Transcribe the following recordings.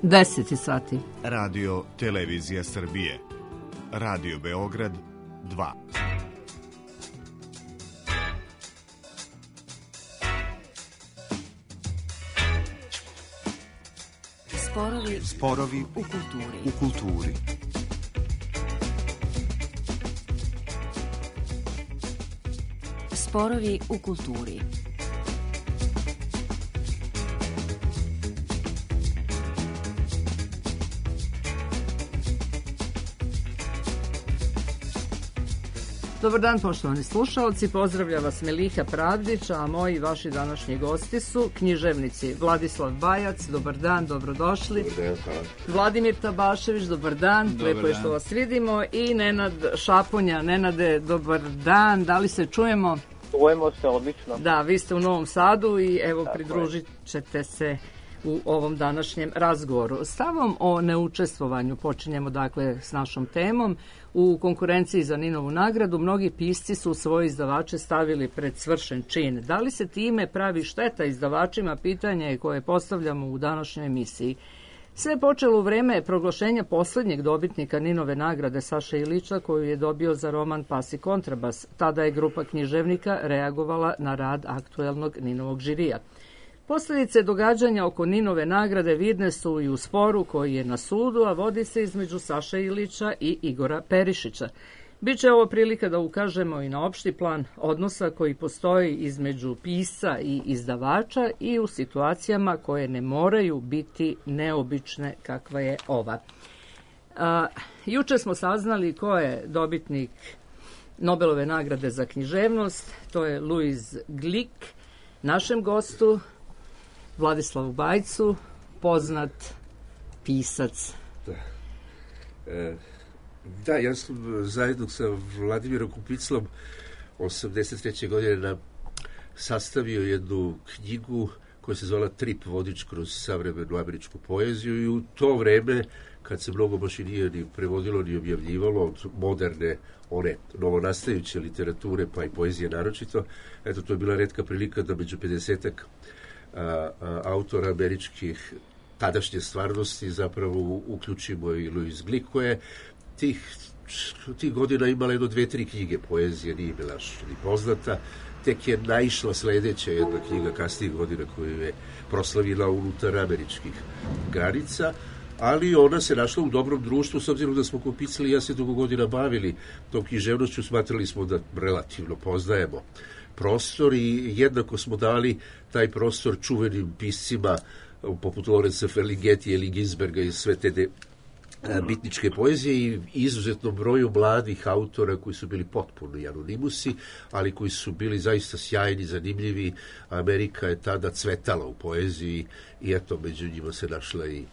10 sati. Radio Televizija Srbije. Radio Beograd 2. Sporovi u kulturi. Sporovi u kulturi. Dobar dan, poštovani slušalci, pozdravlja vas Miliha Pravdić, a moji vaši današnji gosti su književnici Vladislav Bajac, dobar dan, dobrodošli. Dobar dan, hvala. Vladimir Tabašević, dobar dan, lepo je što vas vidimo, i Nenad Šaponja. Nenade, dobar dan, da li se čujemo? Čujemo se, odlično. Da, vi ste u Novom Sadu i evo pridružit ćete se u ovom današnjem razgovoru. Stavom o neučestvovanju počinjemo dakle s našom temom. U konkurenciji za Ninovu nagradu mnogi pisci su svoje izdavače stavili pred svršen čin. Da li se time pravi šteta izdavačima, pitanje je koje postavljamo u današnjoj emisiji. Sve je počelo u vreme proglašenja posljednjeg dobitnika Ninove nagrade Saše Ilića, koju je dobio za roman Pas i kontrabas. Tada je grupa književnika reagovala na rad aktuelnog Ninovog žirija. Posljedice događanja oko Ninove nagrade vidne su i u sporu koji je na sudu, a vodi se između Saše Ilića i Igora Perišića. Biće ovo prilika da ukažemo i na opšti plan odnosa koji postoji između pisca i izdavača i u situacijama koje ne moraju biti neobične kakva je ova. Juče smo saznali ko je dobitnik Nobelove nagrade za književnost, to je Louis Glück, našem gostu Vladislavu Bajcu, poznat pisac. Da, ja sam zajedno sa Vladimirom Kupiclom 83. godine sastavio jednu knjigu koja se zvala Trip vodič kroz savremenu američku poeziju i u to vreme, kad se mnogo baš i nije ni prevodilo ni objavljivalo od moderne, one novonastajuće literature, pa i poezije naročito, eto, to je bila retka prilika da među 50-ak autora američkih tadašnje stvarnosti zapravo uključimo i Louis Glück, koja je tih godina imala jedno 2-3 knjige poezije, nije bila ni poznata, tek je naišla sledeća jedna knjiga kasnijih godina koju je proslavila unutar američkih granica, ali ona se našla u dobrom društvu, s obzirom da smo Kupicli i ja se dugo godina bavili tom književnošću, smatrali smo da relativno poznajemo prostor i jednako smo dali taj prostor čuvenim piscima poput Lorenza Ferlinghetti ili Ginsberga i sve te bitničke poezije i izuzetno broju mladih autora koji su bili potpuno anonimusi, ali koji su bili zaista sjajni, zanimljivi. Amerika je tada cvetala u poeziji i eto, među njima se našla i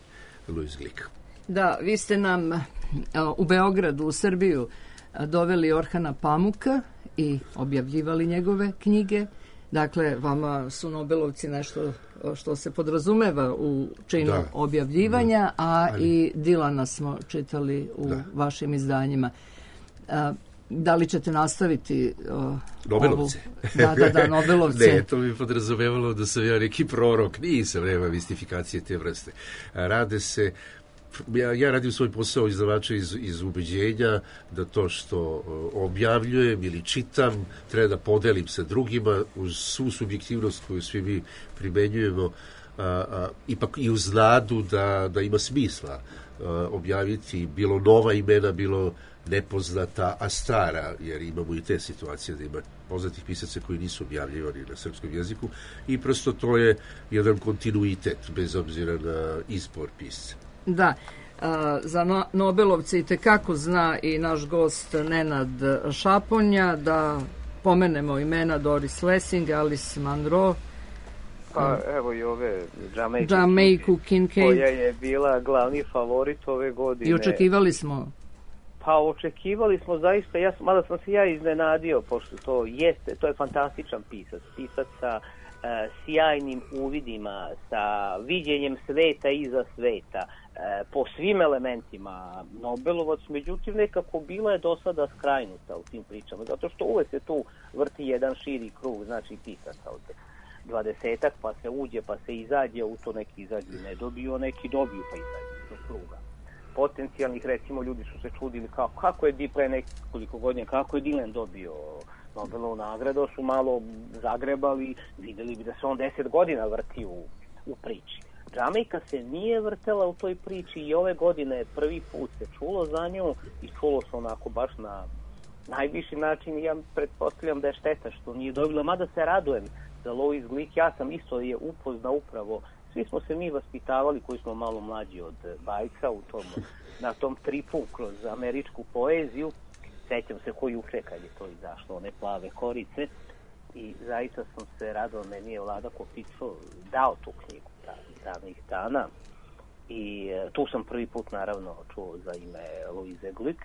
Louis Glück. Da, vi ste nam u Beogradu, u Srbiju, doveli Orhana Pamuka i objavljivali njegove knjige. Dakle, vama su Nobelovci nešto što se podrazumeva u činu objavljivanja, i Dilana smo čitali u vašim izdanjima. Da li ćete nastaviti Nobelovce? Da, Nobelovce. Ne, to bi podrazumevalo da sam ja neki prorok, nisam, nema mistifikacije te vrste. Rade se, ja radim svoj posao izdavača iz ubeđenja da to što objavljujem ili čitam treba da podelim sa drugima uz svu subjektivnost koju svi mi primenjujemo, ipak i uz nadu da ima smisla objaviti bilo nova imena, bilo nepoznata, a stara, jer imamo i te situacije da ima poznatih pisaca koji nisu objavljivani na srpskom jeziku i prosto to je jedan kontinuitet bez obzira na izbor pisca. Da, za Nobelovce i tekako zna i naš gost Nenad Šaponja, da pomenemo imena Doris Lessing, Alice Munro, pa evo i ove Jamaica Kincaid, koja je bila glavni favorit ove godine. I očekivali smo. Pa očekivali smo zaista, mada sam se ja iznenadio, pošto to je fantastičan pisac sa sjajnim uvidima, sa viđenjem sveta iza sveta, po svim elementima Nobelovac, međutim nekako bila je do sada skrajnuta u tim pričama, zato što uvek se tu vrti jedan širi krug, znači pisaca od 20-ak, pa se uđe, pa se izađe, u to neki izađu ne dobiju, neki dobiju pa izađu do kruga. Potencijalnih, recimo, ljudi su se čudili kako je pre nekoliko godina, kako je Dylan dobio Nobelovu nagradu, su malo zagrebali, vidjeli bi da se on 10 godina vrti u priči. Džamajka se nije vrtela u toj priči i ove godine prvi put se čulo za nju i čulo se onako baš na najviši način i ja pretpostavljam da je šteta što nije dobila, mada se radujem za Louise Glick, ja sam isto je upoznao upravo, svi smo se mi vaspitavali koji smo malo mlađi od bajca na tom tripu kroz američku poeziju, sećam se koji juče kad je to izašlo, one plave korice i zaista sam se radao, meni je Vlada Kopico dao tu knjigu davnih dana i tu sam prvi put naravno čuo za ime Louise Glick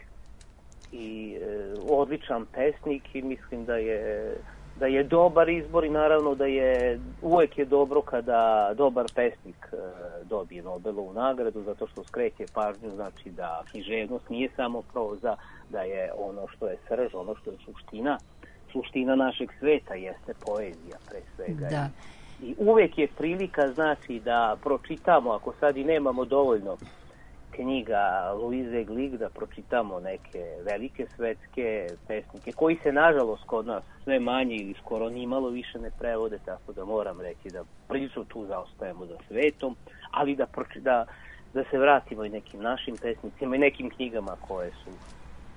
i odličan pesnik i mislim da je dobar izbor i naravno da je uvek je dobro kada dobar pesnik dobije Nobelovu nagradu zato što skreće pažnju, znači da književnost nije samo proza, da je ono što je srž, ono što je suština našeg sveta jeste poezija pre svega. Da. I uvek je prilika, znači, da pročitamo, ako sad i nemamo dovoljno knjiga Louise Glick, da pročitamo neke velike svetske pesnike, koji se, nažalost, kod nas sve manje ili skoro nimalo više ne prevode, tako da moram reći da prilično tu zaostajemo za svetom, ali da se vratimo i nekim našim pesnicima i nekim knjigama koje su,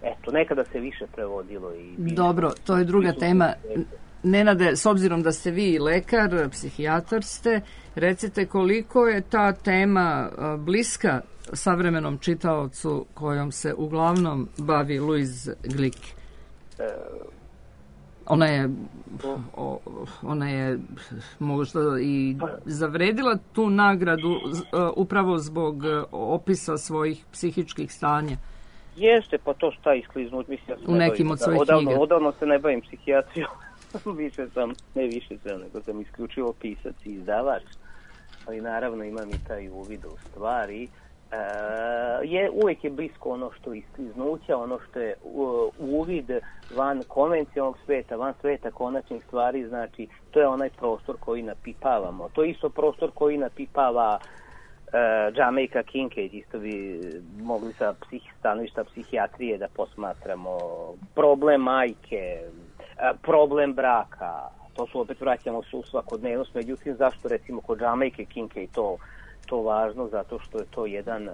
eto, nekada se više prevodilo. Dobro, to je druga tema. Nenade, s obzirom da ste vi lekar, psihijatar ste, recite koliko je ta tema bliska savremenom čitaocu kojom se uglavnom bavi Louise Glick? Ona je možda i zavredila tu nagradu upravo zbog opisa svojih psihičkih stanja. Jeste, pa to šta iskliznuti, mislim, u nekim od svojih knjiga. Odavno se ne bavim psihijatrijom. Nego sam isključivo pisac i izdavač, ali naravno imam i taj uvid u stvari. Uvek je blisko ono što iskliznuća, ono što je uvid van konvencionalnog sveta, van sveta konačnih stvari, znači to je onaj prostor koji napipavamo. To je isto prostor koji napipava Jamaica Kincaid, isto bi mogli sa stanovišta psihijatrije da posmatramo problem majke, problem braka, to su opet vraćamo se u svakodnevnost, međutim zašto recimo kod Jamaica Kincaid to važno, zato što je to jedan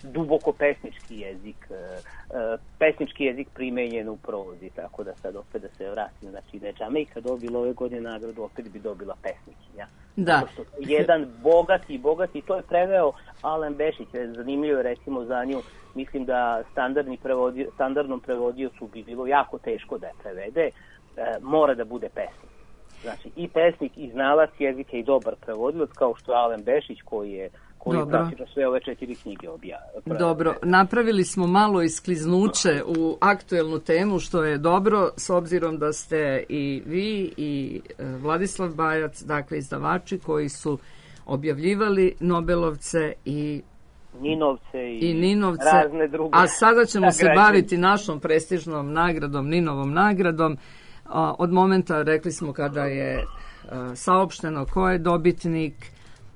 duboko pesnički jezik primenjen u prozi, tako da sad opet da se vratim, znači da je Jamaica dobila ove godine nagradu, opet bi dobila pesnikinja. Da. Jedan bogati, to je preveo Alen Bešić, zanimljivo je recimo za nju, mislim da standardnom prevodiocu bi bilo jako teško da je prevede, mora da bude pesnik. Znači i pesnik i znalac jezika i dobar prevodilac kao što je Alen Bešić koji je praktično sve ove 4 knjige Dobro, napravili smo malo iskliznuće u aktuelnu temu, što je dobro, s obzirom da ste i vi i Vladislav Bajac, dakle izdavači koji su objavljivali Nobelovce i Ninovce, razne druge. A sada ćemo se baviti našom prestižnom nagradom, Ninovom nagradom. Od momenta, rekli smo, kada je saopšteno ko je dobitnik,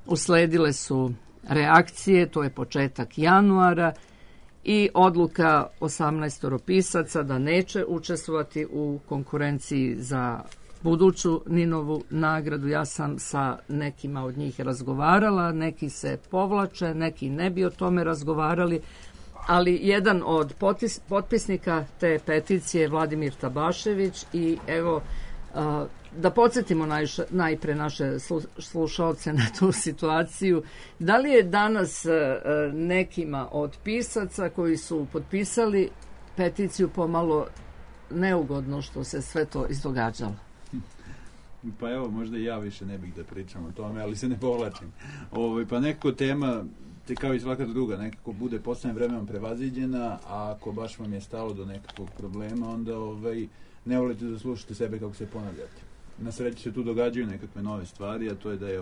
usledile su reakcije, to je početak januara i odluka 18 pisaca da neće učestvovati u konkurenciji za buduću Ninovu nagradu. Ja sam sa nekima od njih razgovarala, neki se povlače, neki ne bi o tome razgovarali, ali jedan od potpisnika te peticije je Vladimir Tabašević i evo da podsjetimo najpre naše slušaoce na tu situaciju. Da li je danas nekima od pisaca koji su potpisali peticiju pomalo neugodno što se sve to izdogađalo? Pa evo, možda i ja više ne bih da pričam o tome, ali se ne povlačim. Pa nekako tema, kao i svaka druga, nekako bude poslednjim vremenom prevaziđena, a ako baš vam je stalo do nekakvog problema, onda ne volite da slušate sebe kako se ponavljate. Na sreći se tu događaju nekakve nove stvari, a to je da je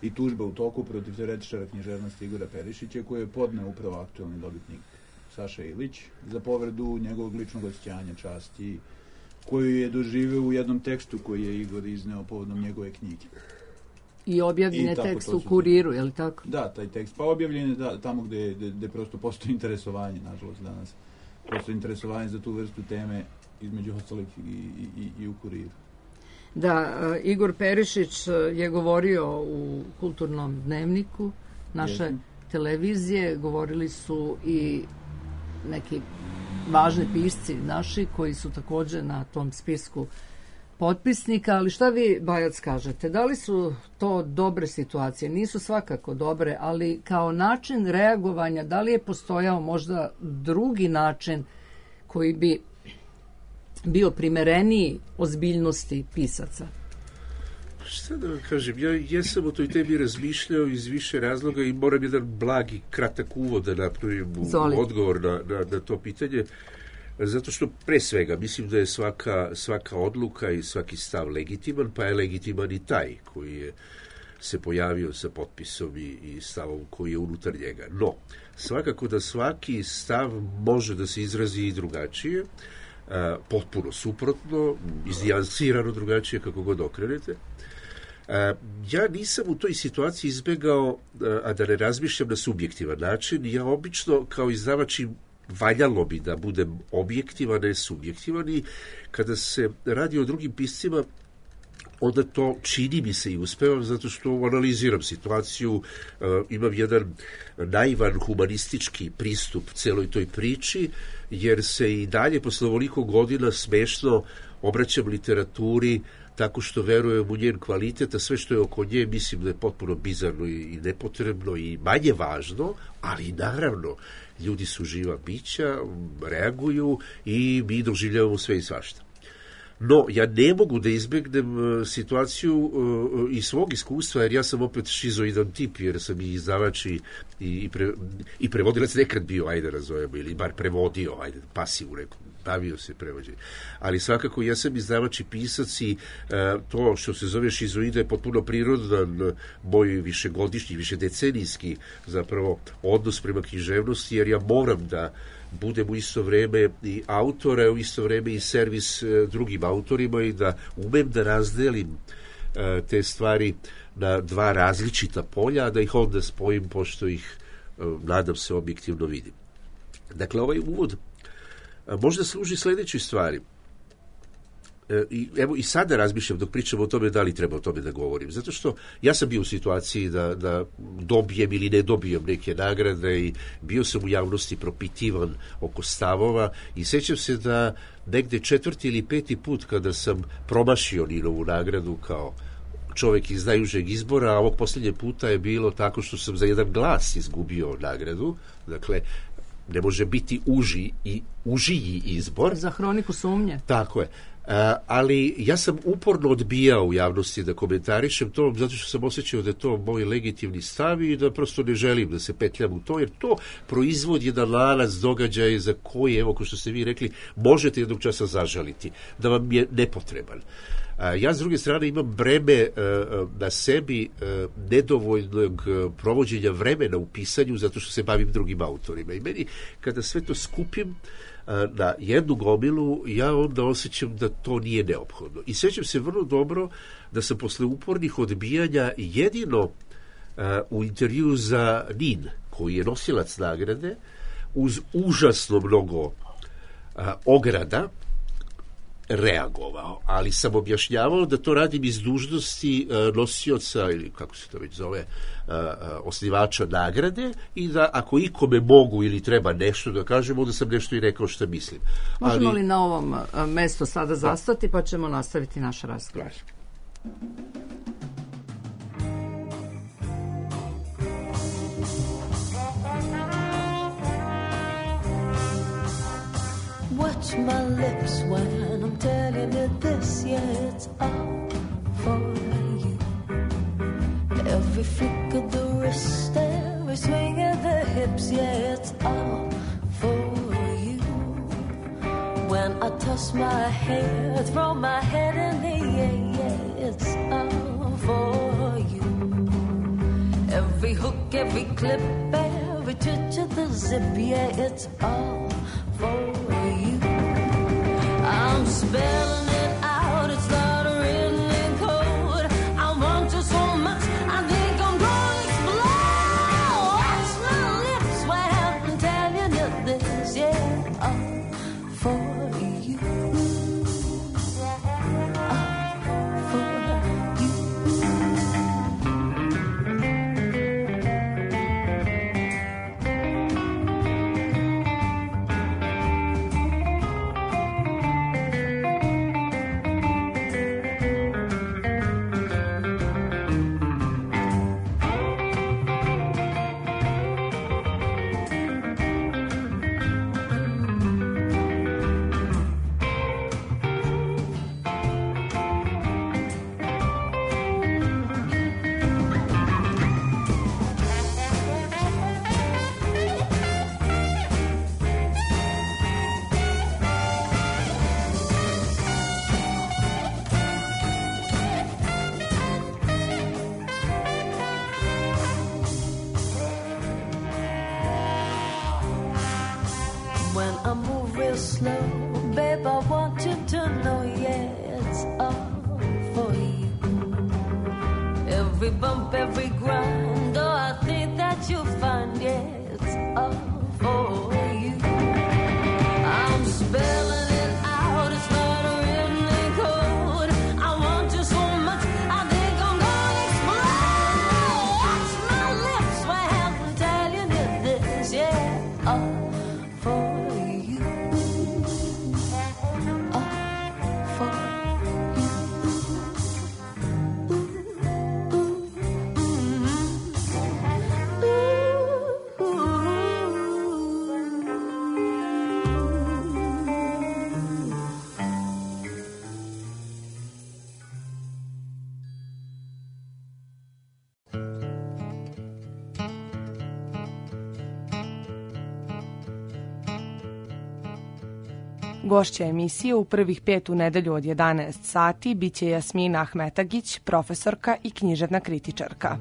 i tužba u toku protiv teoretičara književnosti Igora Perišića, koji je podneo upravo aktuelni dobitnik Saša Ilić za povredu njegovog ličnog osjećanja, časti, koju je doživeo u jednom tekstu koji je Igor izneo povodom njegove knjige. I objavljen je tekst u Kuriru, je li tako? Da, taj tekst. Pa objavljen je tamo gde prosto postoji interesovanje, nažalost, danas. Postoji interesovanje za tu vrstu teme između ostalih i u Kuriru. Da, Igor Perišić je govorio u Kulturnom dnevniku naše televizije, govorili su i neki važni pisci naši koji su također na tom spisku potpisnika, ali šta vi, Bajac, kažete? Da li su to dobre situacije? Nisu svakako dobre, ali kao način reagovanja, da li je postojao možda drugi način koji bi bio primereniji ozbiljnosti pisaca? Šta da vam kažem, ja jesam o toj tebi razmišljao iz više razloga i moram jedan blagi, kratak uvod da napravim odgovor na to pitanje, zato što pre svega mislim da je svaka odluka i svaki stav legitiman, pa je legitiman i taj koji se pojavio sa potpisom i stavom koji je unutar njega. No, svakako da svaki stav može da se izrazi i drugačije, potpuno suprotno, iznijansirano drugačije, kako god okrenete. Ja nisam u toj situaciji izbegao, a da ne razmišljam na subjektivan način. Ja obično kao izdavač valjalo bi da budem objektivan, ne subjektivan, i kada se radi o drugim piscima, onda to čini mi se i uspevam, zato što analiziram situaciju, imam jedan naivan humanistički pristup celoj toj priči, jer se i dalje posle ovoliko godina smešno obraćam literaturi tako što verujem u njen kvalitet, a sve što je oko nje mislim da je potpuno bizarno i nepotrebno i manje važno, ali naravno ljudi su živa bića, reaguju i mi doživljavamo sve i svašta. No, ja ne mogu da izbegnem situaciju iz svog iskustva, jer ja sam opet šizoidan tip, jer sam i izdavač i prevodilac nekad bio, ajde razvojamo, ili bar prevodio, ajde, pasivno nekom, bavio se prevođenjem. Ali svakako ja sam izdavač i pisac i to što se zove šizoida je potpuno prirodan moj višegodišnji, višedecenijski zapravo odnos prema književnosti, jer ja moram da budem u isto vreme i autor, a u isto vreme i servis drugim autorima i da umem da razdelim te stvari na dva različita polja, a da ih onda spojim pošto ih, nadam se, objektivno vidim. Dakle, ovaj uvod možda služi sljedećoj stvari. Evo i sada razmišljam dok pričam o tome da li treba o tome da govorim, zato što ja sam bio u situaciji da dobijem ili ne dobijem neke nagrade i bio sam u javnosti propitivan oko stavova i sećam se da negde 4. ili 5. put kada sam promašio Ninovu nagradu kao čovjek iz najužeg izbora, a ovog posljednje puta je bilo tako što sam za jedan glas izgubio nagradu. Dakle, ne može biti užiji izbor. Za Hroniku sumnje. Tako je. Ali ja sam uporno odbijao u javnosti da komentarišem to, zato što sam osjećao da je to moj legitimni stav i da prosto ne želim da se petljam u to, jer to proizvodi jedan lanac događaja za koji, evo, kao što ste vi rekli, možete jednog časa zažaliti, da vam je nepotreban. Ja, s druge strane, imam breme na sebi nedovoljnog provođenja vremena u pisanju, zato što se bavim drugim autorima. I meni, kada sve to skupim na jednu gomilu, ja onda osjećam da to nije neophodno. I sjećam se vrlo dobro da sam posle upornih odbijanja jedino u intervju za NIN, koji je nosilac nagrade, uz užasno mnogo ograda, reagovao, ali sam objašnjavao da to radim iz dužnosti nosioca, ili kako se to već zove, osnivača nagrade, i da ako ikome mogu ili treba nešto da kažem, onda sam nešto i rekao što mislim. Možemo li na ovom mestu sada zastati, pa ćemo nastaviti naš razgovor. Watch my lips when I'm telling you this, yeah, it's all for you. Every flick of the wrist, every swing of the hips, yeah, it's all for you. When I toss my hair, throw my head in the air, yeah, it's all for you. Every hook, every clip, every twitch of the zip, yeah, it's all for you. I'm spelling it out, it's not written in code. I want you so much real slow. Babe, I want you to know, yeah, it's all for you. Every bump, every grind, oh, I think that you'll find, yeah, it's all for you. I'm spelling it out, it's not a written code. I want you so much, I think I'm gonna explode. Watch my lips when I'm telling you this, yeah, all for you. All for you. Gošća emisije u prvih 5 u nedelju od 11 sati biće Jasmina Ahmetagić, profesorka i književna kritičarka.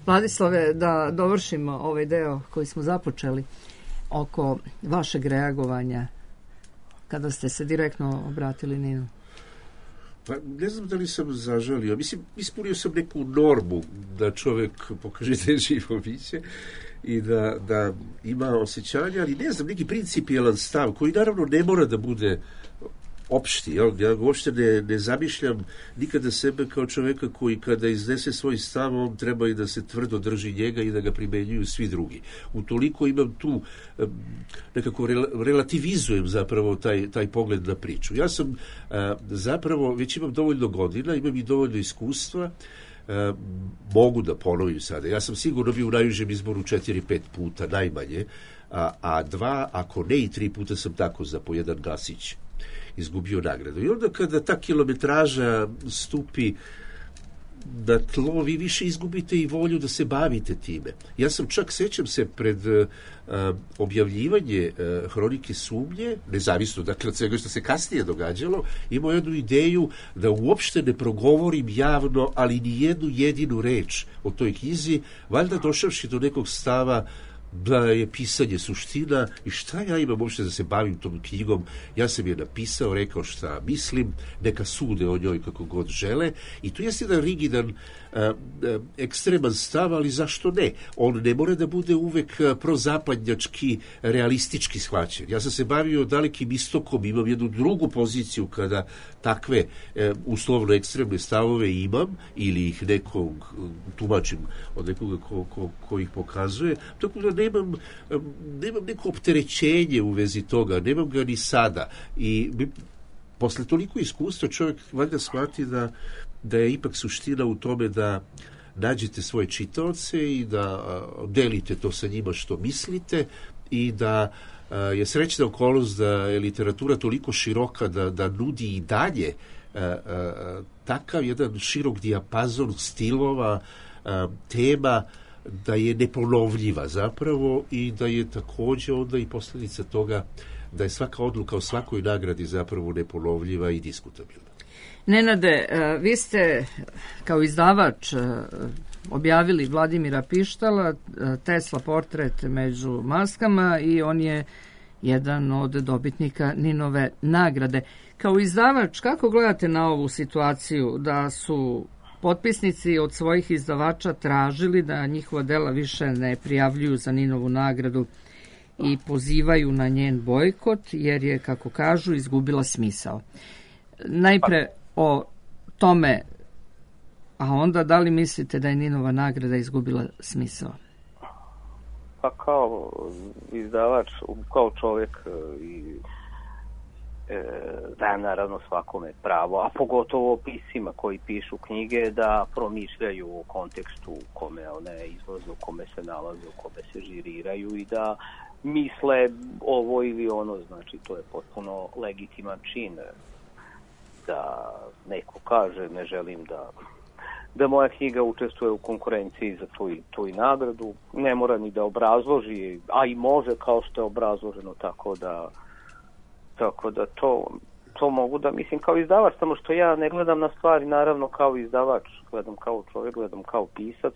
Vladislave, da dovršimo ovaj deo koji smo započeli oko vašeg reagovanja kada ste se direktno obratili Ninu. Pa ne znam da li sam zažalio. Mislim, ispunio sam neku normu da čovek pokaže da je živo biće i da ima osjećanja, ali ne znam, neki principijelan stav koji naravno ne mora da bude opšti. Ja uopšte ne zamišljam nikada sebe kao čoveka koji kada iznese svoj stav, on treba i da se tvrdo drži njega i da ga primenjuju svi drugi. Utoliko imam tu, nekako relativizujem zapravo taj pogled na priču. Ja sam zapravo, već imam dovoljno godina, imam i dovoljno iskustva, mogu da ponovim sada. Ja sam sigurno bio u najužem izboru 4-5 puta, najmanje, a 2, ako ne i 3 puta sam tako za po jedan glasić izgubio nagradu. I onda kada ta kilometraža stupi na tlo, vi više izgubite i volju da se bavite time. Ja sam čak, sećam se, pred objavljivanje Hronike sumnje, nezavisno dakle od svega što se kasnije događalo, imao jednu ideju da uopšte ne progovorim javno, ali ni jednu jedinu reč o toj knjizi, valjda došavši do nekog stava da je pisanje suština i šta ja imam uopšte da se bavim tom knjigom. Ja sam je napisao, rekao šta mislim, neka sude o njoj kako god žele i tu je jedan rigidan ekstreman stav, ali zašto ne? On ne mora da bude uvek prozapadnjački, realistički shvaćen. Ja sam se bavio dalekim istokom, imam jednu drugu poziciju kada takve uslovno ekstremne stavove imam ili ih nekog tumačim od nekoga ko ih pokazuje, tako da nemam neko opterećenje u vezi toga, nemam ga ni sada i posle toliko iskustva čovjek valjda shvati da je ipak suština u tome da nađete svoje čitaoce i da delite to sa njima što mislite i da je srećna okolnost da je literatura toliko široka da nudi i dalje takav jedan širok dijapazon stilova, tema, da je neponovljiva zapravo i da je takođe onda i posljedica toga da je svaka odluka o svakoj nagradi zapravo neponovljiva i diskutabilna. Nenade, vi ste kao izdavač objavili Vladimira Pištala, Tesla portret među maskama i on je jedan od dobitnika Ninove nagrade. Kao izdavač, kako gledate na ovu situaciju da su potpisnici od svojih izdavača tražili da njihova dela više ne prijavljuju za Ninovu nagradu i pozivaju na njen bojkot jer je, kako kažu, izgubila smisao? Najpre o tome, a onda da li mislite da je Ninova nagrada izgubila smisao? Pa kao izdavač, kao čovjek i dajem naravno svakome pravo, a pogotovo piscima koji pišu knjige da promišljaju u kontekstu u kome one izlaze, u kome se nalaze, u kome se žiriraju i da misle ovo ili ono, znači to je potpuno legitiman čin da neko kaže ne želim da moja knjiga učestvuje u konkurenciji za tu i nagradu, ne mora ni da obrazloži, a i može kao što je obrazloženo, tako da to mogu da mislim kao izdavač, samo što ja ne gledam na stvari naravno kao izdavač, gledam kao čovjek, gledam kao pisac,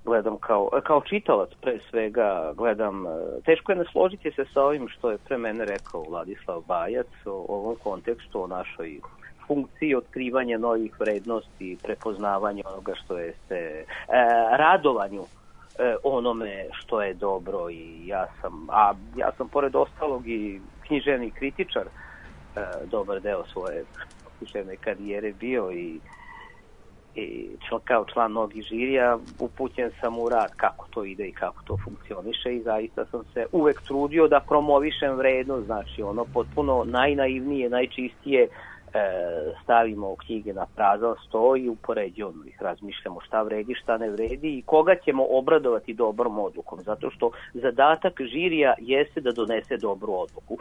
gledam kao čitalac pre svega, gledam, teško je ne složiti se sa ovim što je pre mene rekao Vladislav Bajac o ovom kontekstu, o našoj funkciji otkrivanja novih vrednosti, prepoznavanja onoga što je radovanju onome što je dobro. I ja sam pored ostalog i književni kritičar, dobar deo svoje književne karijere bio i kao član mnogih žirija upućen sam u rad kako to ide i kako to funkcioniše i zaista sam se uvek trudio da promovišem vrednost, znači ono potpuno najnaivnije, najčistije stavimo knjige na prazan sto i upoređujemo ih, razmišljamo šta vredi, šta ne vredi i koga ćemo obradovati dobrom odlukom, zato što zadatak žirija jeste da donese dobru odluku,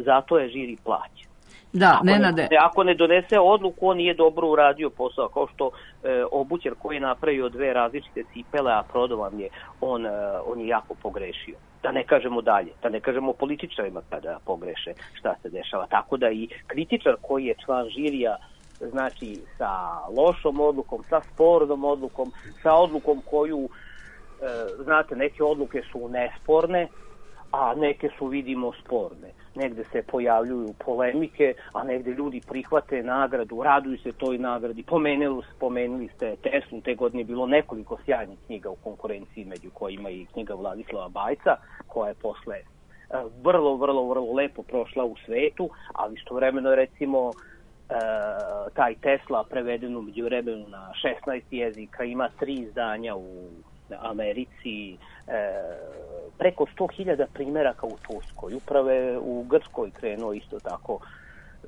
zato je žiri plaćen. Da, Nenade. Ako ne donese odluku, on nije dobro uradio posao, kao što obućar koji je napravio 2 različite cipele, a prodao vam je, on je jako pogrešio. Da ne kažemo dalje, da ne kažemo političarima kada pogreše šta se dešava. Tako da i kritičar koji je član žirija, znači sa lošom odlukom, sa spornom odlukom, sa odlukom koju, znate, neke odluke su nesporne, a neke su, vidimo, sporne. Negde se pojavljuju polemike, a negde ljudi prihvate nagradu, raduju se toj nagradi. Pomenuli ste Teslu, te godine je bilo nekoliko sjajnih knjiga u konkurenciji, među kojima i knjiga Vladislava Bajca, koja je posle vrlo lepo prošla u svetu, ali istovremeno, recimo, taj Tesla preveden u međuvremenu na 16 jezika, ima 3 izdanja u Americi, preko 100.000 primjeraka u Turskoj, uprave u Grčkoj krenuo isto tako,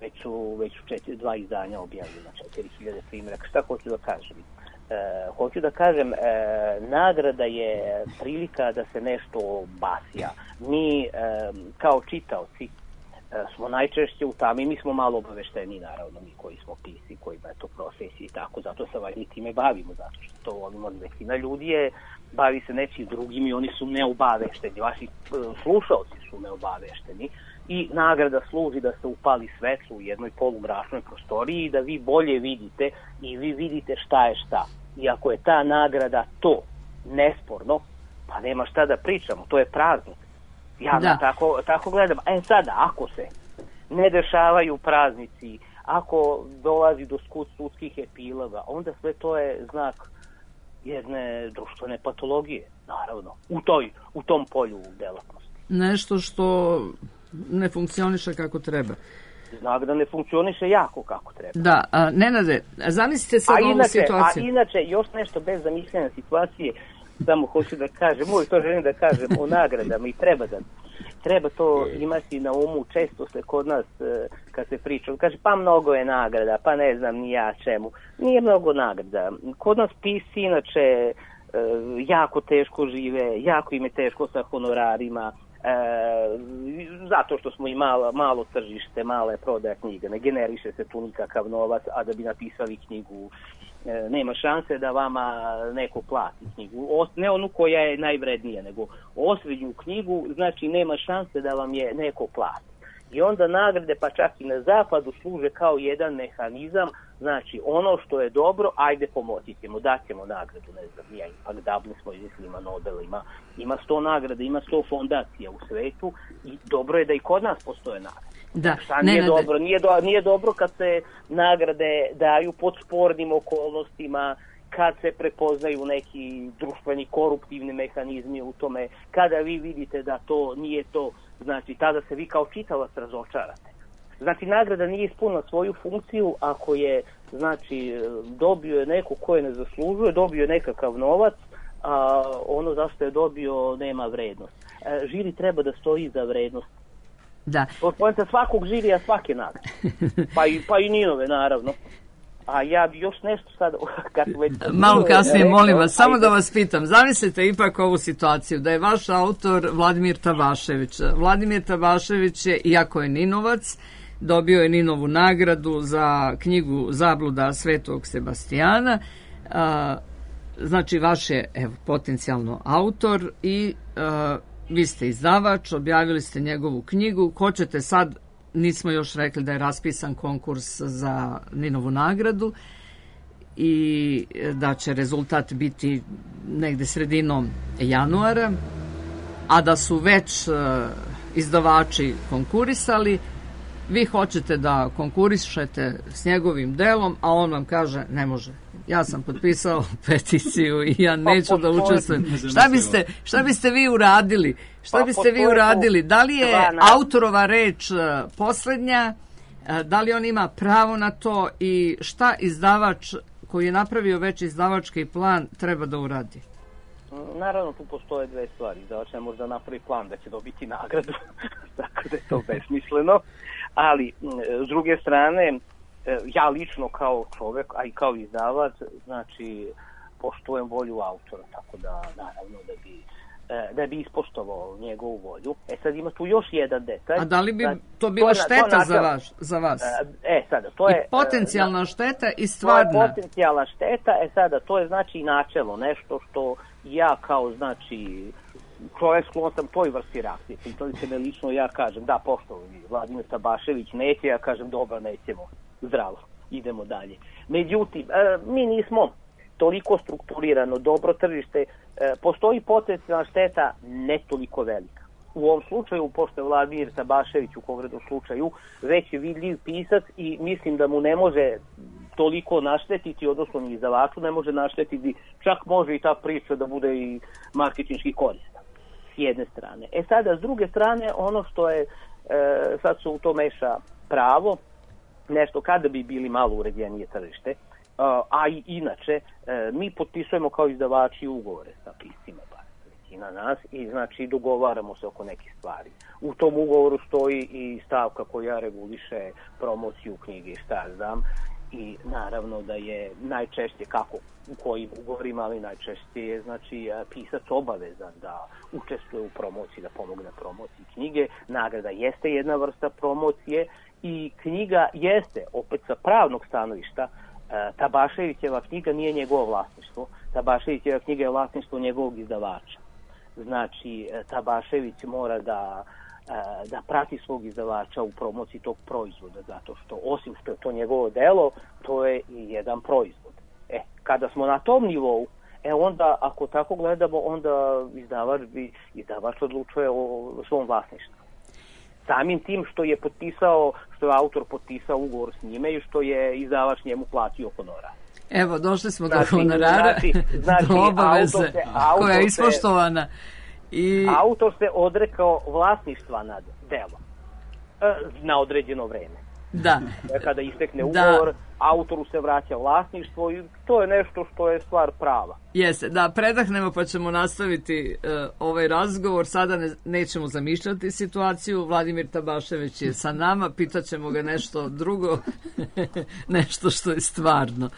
već su 2 izdanja objavljena, 4.000 primjeraka. Šta hoću da kažem? Hoću da kažem, nagrada je prilika da se nešto basija. Mi kao čitaoci smo najčešće u tami, mi smo malo obavešteni, naravno, mi koji smo pisci, kojima je to profesija i tako, zato se valjda i time bavimo, zato što to volimo. Većina ljudi bavi se nečim drugim i oni su neobavešteni, vaši slušalci su neobavešteni i nagrada služi da se upali svetlo u jednoj polumračnoj prostoriji i da vi bolje vidite i vi vidite šta je šta. I ako je ta nagrada to nesporno, pa nema šta da pričamo, to je praznik. Ja tako gledam. Sada, ako se ne dešavaju praznici, ako dolazi do sudskih epiloga, onda sve to je znak jedne društvene patologije, naravno, u tom polju delatnosti. Nešto što ne funkcioniše kako treba. Znak da ne funkcioniše jako kako treba. Da, Nenade, zamislite sad ovu situaciju. A inače, još nešto bez zamišljanja situacije, samo hoću da kažem, uvijek to želim da kažem o nagradama i treba to imati na umu. Često se kod nas, kad se priča, kaže pa mnogo je nagrada, pa ne znam ni ja čemu. Nije mnogo nagrada. Kod nas pisci inače jako teško žive, jako im je teško sa honorarima, zato što smo i malo tržište, male prodaja knjiga, ne generiše se tu nikakav novac, a da bi napisali knjigu nema šanse da vama neko plati knjigu, ne onu koja je najvrednija, nego osrednju knjigu, znači nema šanse da vam je neko plati. I onda nagrade, pa čak i na zapadu, služe kao jedan mehanizam, znači ono što je dobro, ajde pomoći ćemo, daćemo nagradu, ne znam, ja ipak Dublin smo izmislili, ima Nobel, ima 100 nagrada, ima 100 fondacija u svetu i dobro je da i kod nas postoje nagrade. Da, nije dobro? Nije dobro kad se nagrade daju pod spornim okolnostima, kad se prepoznaju neki društveni koruptivni mehanizmi u tome, kada vi vidite da to nije to, znači tada se vi kao čitalac razočarate. Znači nagrada nije ispunila svoju funkciju ako je, znači, dobio je neko koje ne zaslužuje, dobio je nekakav novac, a ono zašto je dobio nema vrednost. Žiri treba da stoji za vrednost. Da. Poenta svakog žirija, svake nagrade. Pa i Ninove, naravno. A ja bi još nešto sad... Malo kasnije, molim vas, samo da vas pitam. Zamislite ipak ovu situaciju, da je vaš autor Vladimir Tavašević. Vladimir Tavašević je, iako je Ninovac, dobio je Ninovu nagradu za knjigu Zabluda Svetog Sebastijana. Znači, vaš je potencijalno autor i vi ste izdavač, objavili ste njegovu knjigu. Hoćete sad, nismo još rekli da je raspisan konkurs za Ninovu nagradu i da će rezultat biti negde sredinom januara, a da su već izdavači konkurisali, vi hoćete da konkurišete s njegovim delom, a on vam kaže ne može. Ja sam potpisao peticiju i ja neću da učestvujem. Šta biste vi uradili? Da li je autorova reč poslednja? Da li on ima pravo na to i šta izdavač koji je napravio već izdavački plan treba da uradi? Naravno, tu postoje dve stvari. Izdavač ne može da napravi plan da će dobiti nagradu, tako da je to besmisleno. Ali, s druge strane, ja lično kao čovek, a i kao izdavač, znači, poštujem volju autora, tako da, naravno, da bi ispoštovao njegovu volju. Sad ima tu još jedan detalj. A da li bi to bila šteta za vas? Sada, to je... I potencijalna šteta i stvarna. To je potencijalna šteta, sada, to je znači načelo, nešto što ja kao, znači, čovjek sklon sam toj vrsti reakcije. Pitali se me lično, ja kažem, da, poštovani, Vladimir Tabašević neće, ja kažem, dobro, nećemo, zdravo, idemo dalje. Međutim, mi nismo toliko strukturirano, dobro tržište, postoji potencijalna šteta ne toliko velika. U ovom slučaju, pošto je Vladimir Tabašević u konkretnom slučaju već je vidljiv pisac i mislim da mu ne može toliko naštetiti, odnosno ni izdavaču ne može naštetiti, čak može i ta priča da bude i marketinški korisna, s jedne strane. Sada, s druge strane, ono što je, sad se u to meša pravo, nešto kada bi bili malo uređenije tržište, a i inače, mi potpisujemo kao izdavači ugovore sa piscima, većina nas, i znači dogovaramo se oko nekih stvari. U tom ugovoru stoji i stavka koja reguliše promociju knjige, šta znam, i naravno da je najčešće, kako u kojim ugovorima, ali najčešće je znači pisac obavezan da učestvuje u promociji, da pomogne promociji knjige. Nagrada jeste jedna vrsta promocije i knjiga jeste, opet sa pravnog stanovišta, Tabaševićeva knjiga nije njegovo vlasništvo. Tabaševićeva knjiga je vlasništvo njegovog izdavača. Znači, Tabašević mora da prati svog izdavača u promociji tog proizvoda, zato što osim što je to njegovo delo, to je i jedan proizvod. Kada smo na tom nivou, onda ako tako gledamo, onda izdavač odlučuje o svom vlasništvu. Samim tim što je autor potpisao ugovor s njime i što je izdavač njemu platio honorar. Evo, došli smo do honorara, do obaveze koja je ispoštovana. Autor se odrekao vlasništva nad delom na određeno vreme. Da. Kada istekne ugovor, autoru se vraća vlasništvo i to je nešto što je stvar prava. Jeste, da, predahnemo pa ćemo nastaviti ovaj razgovor. Sada nećemo zamišljati situaciju. Vladimir Tabašević je sa nama, pitaćemo ga nešto drugo, nešto što je stvarno.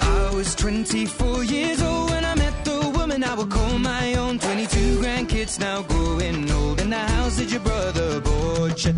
I was 24 years old when I met the woman I would call my own. 22 grandkids now growing old, in the house that your brother bought you.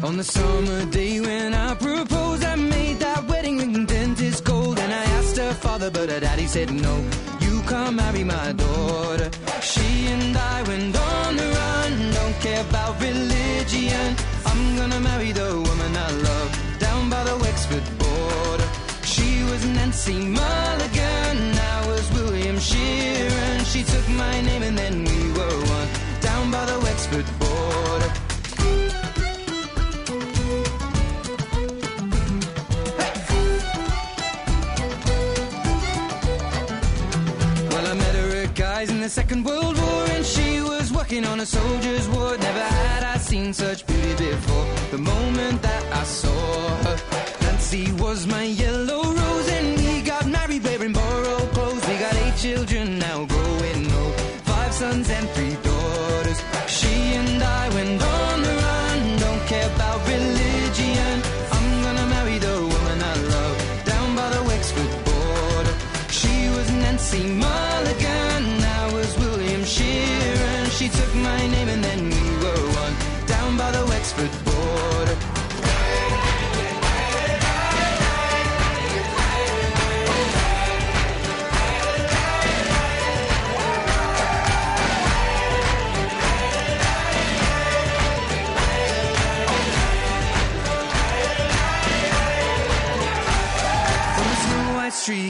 On the summer day when I proposed, I made that wedding ring dentist gold. And I asked her father, but her daddy said no, you can't marry my daughter. She and I went on the run, don't care about religion. I'm gonna marry the woman I love, down by the Wexford border. She was Nancy Mulligan, I was William Sheeran. She took my name and then we were one, down by the Wexford border. In the Second World War, and she was working on a soldier's ward. Never had I seen such beauty before. The moment that I saw her, Nancy was my yellow rose, and we got married wearing borrowed clothes. We got 8 children now growing old, 5 sons and 3 daughters. She and I went on the run, don't care about religion. I'm gonna marry the woman I love, down by the Wexford border. She was Nancy Mulligan, Sheeran. She took my name and then we were one, down by the Wexford border.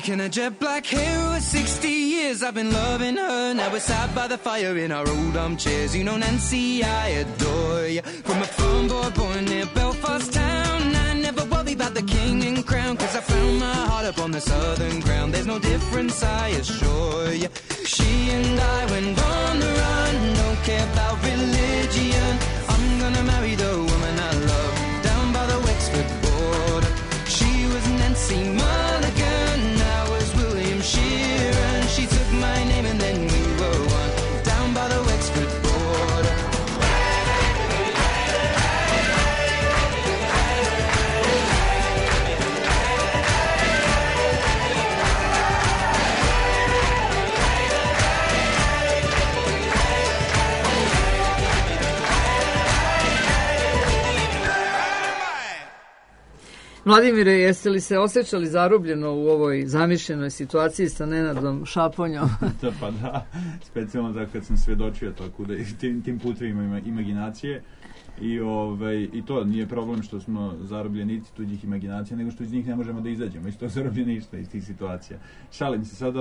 in her jet black hair. Over 60 years I've been loving her. Now we're sat by the fire in our old armchairs. You know, Nancy, I adore you. From a farm boy born near Belfast town, I never worry about the king and crown, 'cause I found my heart up on the southern ground. There's no difference, I assure you. She and I went on the run, don't care about religion. I'm gonna marry the woman I love down by the Wexford border. She was Nancy Mulligan, I was William Sheeran. She took my name and then we were one down by the Wexford border. Vladimire, jeste li se osjećali zarobljeno u ovoj zamišljenoj situaciji sa Nenadom Šaponjom? Pa da, specijalno da kad sam svedočio tako da tim putevima imaginacije i to nije problem što smo zarobljenici tuđih imaginacija, nego što iz njih ne možemo da izađemo, iz tog zarobljeništva, iz tih situacija. Šalim se sada,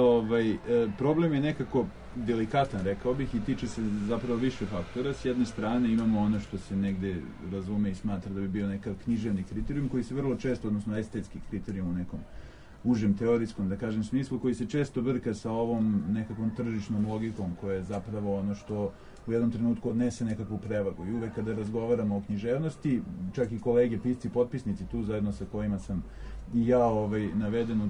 problem je nekako delikatan, rekao bih, i tiče se zapravo više faktora. S jedne strane imamo ono što se negde razume i smatra da bi bio nekakav književni kriterijum, koji se vrlo često, odnosno estetski kriterijum u nekom užem teorijskom, da kažem, smislu, koji se često brka sa ovom nekakvom tržišnom logikom, koja je zapravo ono što u jednom trenutku odnese nekakvu prevagu. I uvek kada razgovaramo o književnosti, čak i kolege, pisci, potpisnici tu zajedno sa kojima sam i ja naveden u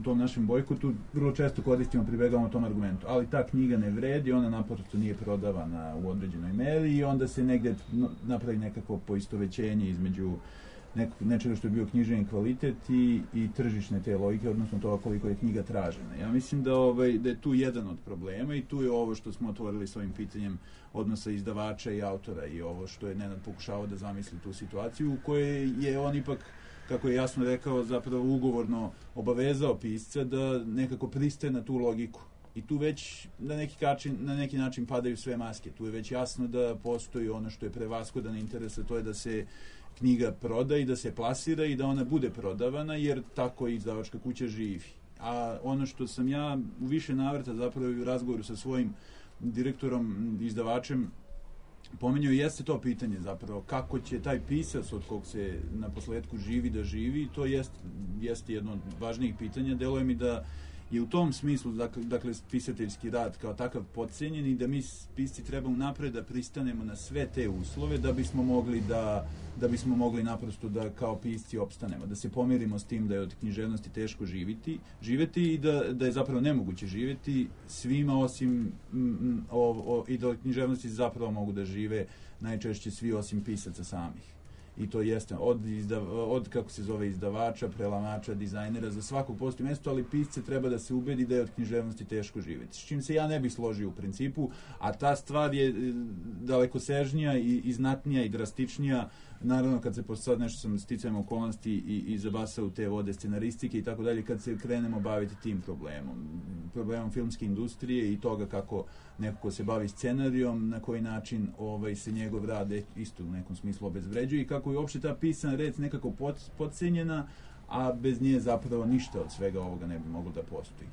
tom našem bojkotu, vrlo često koristimo, pribegavamo tom argumentu. Ali ta knjiga ne vredi, ona naprosto nije prodavana u određenoj meri i onda se negde napravi nekakvo poistovećenje između nečega što je bio književni kvalitet i tržišne te logike, odnosno toga koliko je knjiga tražena. Ja mislim da je tu jedan od problema i tu je ovo što smo otvorili s ovim pitanjem odnosa izdavača i autora i ovo što je Nenad pokušavao da zamisli tu situaciju u kojoj je on ipak, kako je jasno rekao, zapravo ugovorno obavezao pisca da nekako pristaje na tu logiku. I tu već na neki način padaju sve maske. Tu je već jasno da postoji ono što je prevashodan interes, a to je da se knjiga proda i da se plasira i da ona bude prodavana, jer tako i izdavačka kuća živi. A ono što sam ja u više navrata zapravo u razgovoru sa svojim direktorom, izdavačem, pomenjao jeste to pitanje zapravo, kako će taj pisac od kog se na posledku živi da živi, to jeste jedno od važnijih pitanja. Deluje mi da je u tom smislu, dakle, pisateljski rad kao takav podcenjen i da mi pisci treba unapred da pristanemo na sve te uslove da bismo mogli naprosto da kao pisci opstanemo, da se pomirimo s tim da je od književnosti teško živeti i da je zapravo nemoguće živeti svima osim i da od književnosti zapravo mogu da žive najčešće svi osim pisaca samih. I to jeste od kako se zove izdavača, prelamača, dizajnera, za svakog postoji mesto, ali pisce treba da se ubedi da je od književnosti teško živjeti. S čim se ja ne bih složio u principu, a ta stvar je dalekosežnija i znatnija i drastičnija. Naravno, kad se sad nešto sam sticajem okolnosti i zabasao u te vode scenaristike i tako dalje, kad se krenemo baviti tim problemom filmske industrije i toga kako neko ko se bavi scenarijom, na koji način se njegov rad isto u nekom smislu obezvređuje i kako je uopšte ta pisana reč nekako podcenjena, a bez nje zapravo ništa od svega ovoga ne bi moglo da postoji.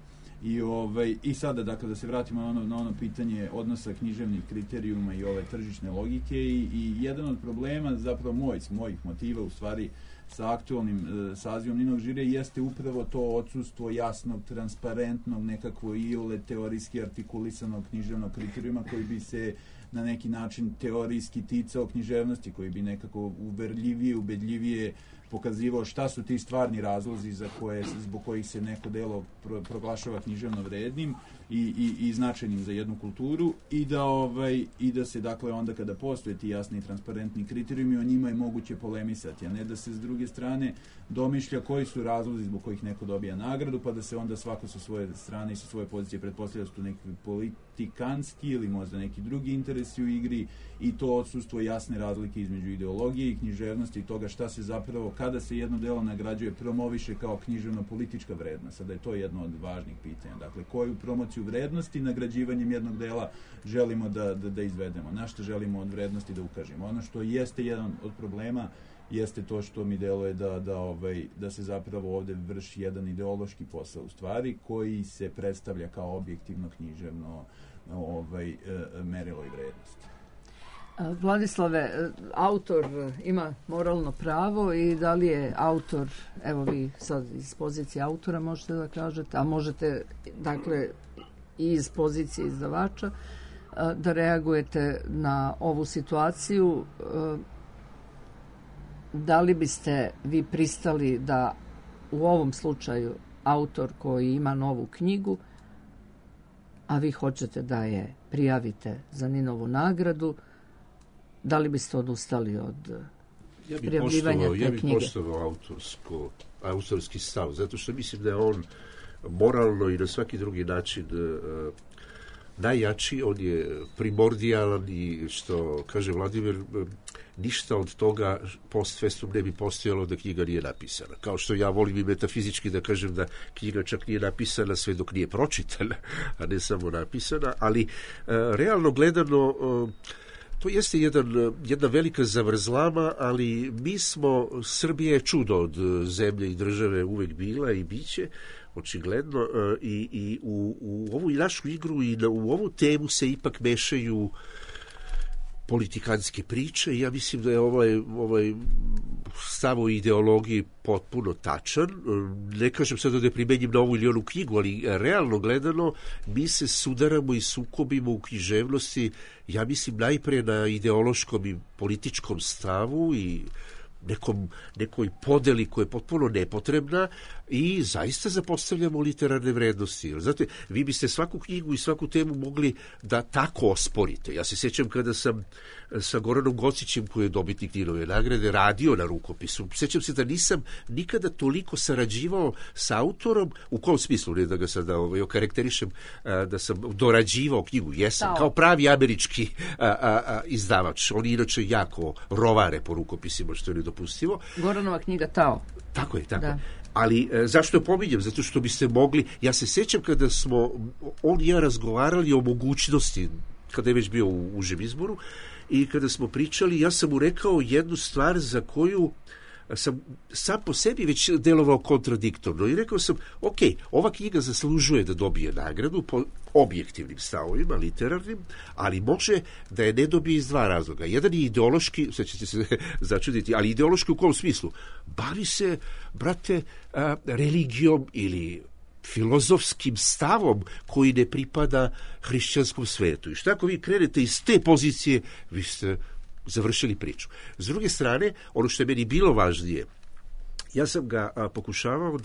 I sada, dakle, da se vratimo na ono pitanje odnosa književnih kriterijuma i ove tržišne logike i jedan od problema, zapravo mojih motiva, u stvari, sa aktualnim sazivom Ninog žirija jeste upravo to odsustvo jasnog, transparentnog, nekakvo iole teorijski artikulisanog književnog kriterijuma koji bi se na neki način teorijski ticao književnosti, koji bi nekako uverljivije, ubedljivije pokazivao šta su ti stvarni razlozi zbog kojih se neko delo proglašava književno vrednim i značajnim za jednu kulturu i da se, dakle, onda kada postoje ti jasni i transparentni kriterijumi, o njima je moguće polemisati, a ne da se s druge strane domišlja koji su razlozi zbog kojih neko dobija nagradu, pa da se onda svako sa svoje strane i sa svoje pozicije pretpostavlja da su tu neki politikanski ili možda neki drugi interesi u igri i to odsustvo jasne razlike između ideologije i književnosti i toga šta se zapravo, kada se jedno delo nagrađuje, promoviše kao književno-politička vrednost. Sada je to jedno od važnih pitanja. Dakle, koju promociju vrednosti nagrađivanjem jednog dela želimo da izvedemo, na što želimo od vrednosti da ukažemo. Ono što jeste jedan od problema jeste to što mi deluje da se zapravo ovde vrši jedan ideološki posao u stvari koji se predstavlja kao objektivno književno merilo i vrednost. Vladislave, autor ima moralno pravo i da li je autor, evo vi sad iz pozicije autora možete da kažete, a možete dakle i iz pozicije izdavača da reagujete na ovu situaciju, da li biste vi pristali da u ovom slučaju autor koji ima novu knjigu, a vi hoćete da je prijavite za Ninovu nagradu, da li biste odustali od prijavljivanja te knjige? Ja bih poštovao autorski stav, zato što mislim da je on moralno i na svaki drugi način najjači, on je primordijalan i što kaže Vladimir, ništa od toga post festum ne bi postojalo da knjiga nije napisana. Kao što ja volim i metafizički da kažem da knjiga čak nije napisana sve dok nije pročitana, a ne samo napisana, ali realno gledano to jeste jedna velika zavrzlama, ali mi smo, Srbija je čudo od zemlje i države uvek bila i biće, očigledno, i u ovu našu igru i u ovu temu se ipak mešaju politikanske priče i ja mislim da je ovaj stav o ideologiji potpuno tačan. Ne kažem sad da ne primenjim na ovu ili onu knjigu, ali realno gledano mi se sudaramo i sukobimo u književnosti, ja mislim najpre na ideološkom i političkom stavu i nekoj podeli koja je potpuno nepotrebna i zaista zapostavljamo literarne vrednosti. Znate, vi biste svaku knjigu i svaku temu mogli da tako osporite. Ja se sjećam kada sam sa Goranom Gocićem, koji je dobitnik Ninove nagrade, radio na rukopisu. Sjećam se da nisam nikada toliko sarađivao sa autorom, u kom smislu, ne da ga sada okarakterišem, da sam dorađivao knjigu. Jesam, kao pravi američki izdavač. Oni inače jako rovare po rukopisima, što je nedopustivo. Goranova knjiga Tao. Tako je, tako. Da. Ali zašto je pominjem? Zato što biste mogli... Ja se sjećam kada smo on i ja razgovarali o mogućnosti, kada je već bio u užem izboru, i kada smo pričali, ja sam mu rekao jednu stvar za koju sam sam po sebi već delovao kontradiktorno. I rekao sam, ok, ova knjiga zaslužuje da dobije nagradu po objektivnim stavovima, literarnim, ali može da je ne dobije iz dva razloga. Jedan je ideološki, sad ćete se začuditi, ali ideološki u kom smislu? Bavi se, brate, religijom ili filozofskim stavom koji ne pripada hrišćanskom svetu. I šta ako vi krenete iz te pozicije, vi ste završili priču. S druge strane, ono što je meni bilo važnije, ja sam ga pokušavao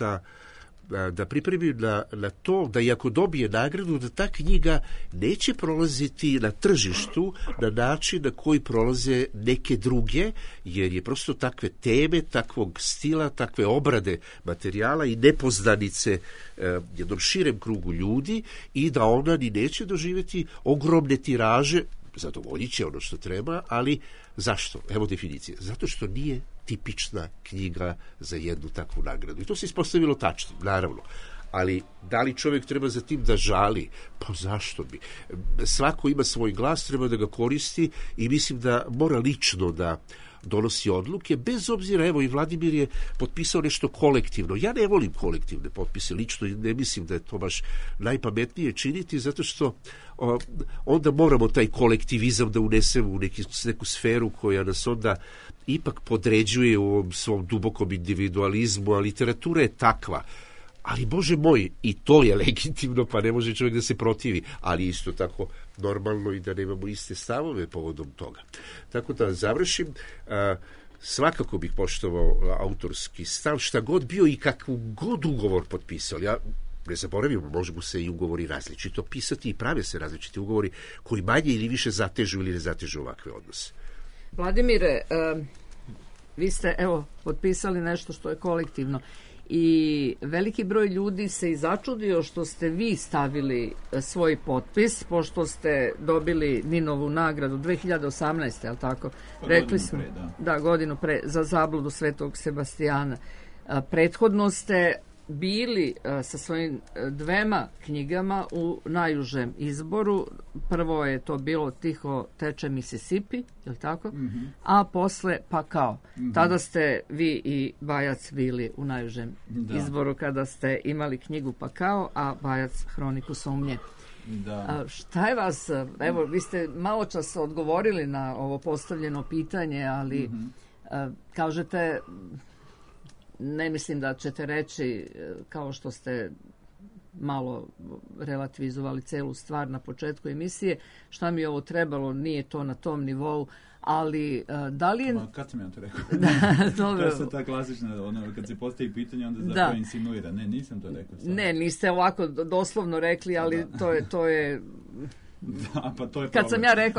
da pripremim na to da i ako dobije nagradu, da ta knjiga neće prolaziti na tržištu na način na koji prolaze neke druge, jer je prosto takve teme, takvog stila, takve obrade materijala i nepoznanice jednom širem krugu ljudi i da ona ni neće doživjeti ogromne tiraže. Zadovoljit će ono što treba, ali zašto? Evo definicije. Zato što nije tipična knjiga za jednu takvu nagradu. I to se ispostavilo tačno, naravno. Ali da li čovjek treba za tim da žali? Pa zašto bi? Svako ima svoj glas, treba da ga koristi i mislim da mora lično da donosi odluke, bez obzira, evo i Vladimir je potpisao nešto kolektivno. Ja ne volim kolektivne potpise, lično ne mislim da je to baš najpametnije činiti, zato što onda moramo taj kolektivizam da unesemo u neku sferu koja nas onda ipak podređuje u ovom svom dubokom individualizmu, a literatura je takva. Ali, Bože moj, i to je legitimno, pa ne može čovjek da se protivi, ali isto tako normalno i da nemamo iste stavove povodom toga. Tako da završim, svakako bih poštovao autorski stav, šta god bio i kakvu god ugovor potpisali. Ja ne zaboravimo, možemo se i ugovori različito pisati i prave se različiti ugovori koji manje ili više zatežu ili ne zatežu ovakve odnose. Vladimire, vi ste, evo, potpisali nešto što je kolektivno. I veliki broj ljudi se i začudio što ste vi stavili svoj potpis, pošto ste dobili Ninovu nagradu 2018. je li tako? Rekli smo, godinu pre, za zabludu Svetog Sebastijana. Prethodno ste bili sa svojim dvema knjigama u najužem izboru. Prvo je to bilo Tiho teče Mississippi, je li tako? A posle Pakao. Tada ste vi i Bajac bili u najužem izboru kada ste imali knjigu Pakao, a Bajac Hroniku sumnje. Da. Šta je vas, evo, vi ste malo čas odgovorili na ovo postavljeno pitanje, ali kažete, ne mislim da ćete reći, kao što ste malo relativizovali celu stvar na početku emisije, šta mi je ovo trebalo, nije to na tom nivou, ali da li je... Kad sam ja to rekao? Dobro. To je sad ta klasična, kad se postavi pitanje, onda zapravo insinuira. Ne, nisam to rekao. Sad. Ne, niste ovako doslovno rekli, ali to je... Da, pa to je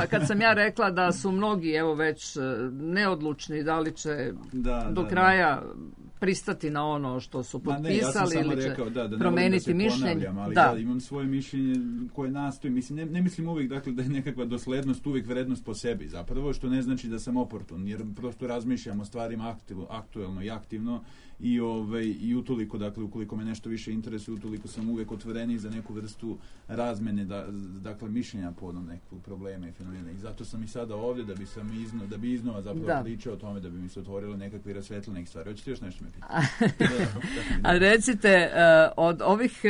kad sam ja rekla da su mnogi evo već neodlučni da li će do kraja pristati na ono što su potpisali ili će promeniti mišljenje. Ali ja imam svoje mišljenje koje nastoji. Mislim, ne mislim uvijek dakle, da je nekakva doslednost uvijek vrednost po sebi. Zapravo što ne znači da sam oportun, jer prosto razmišljam o stvarima aktuelno i aktivno i utoliko, dakle, ukoliko me nešto više interesuje, utoliko sam uvijek otvoreniji za neku vrstu razmene, dakle, mišljenja povodom nekog problema i fenomena. I zato sam i sada ovdje da bi iznova zapravo pričao o tome, da bi mi se otvorile nekakve i rasvetlile neke stvari. Hoćete još nešto me pitati? A recite, od ovih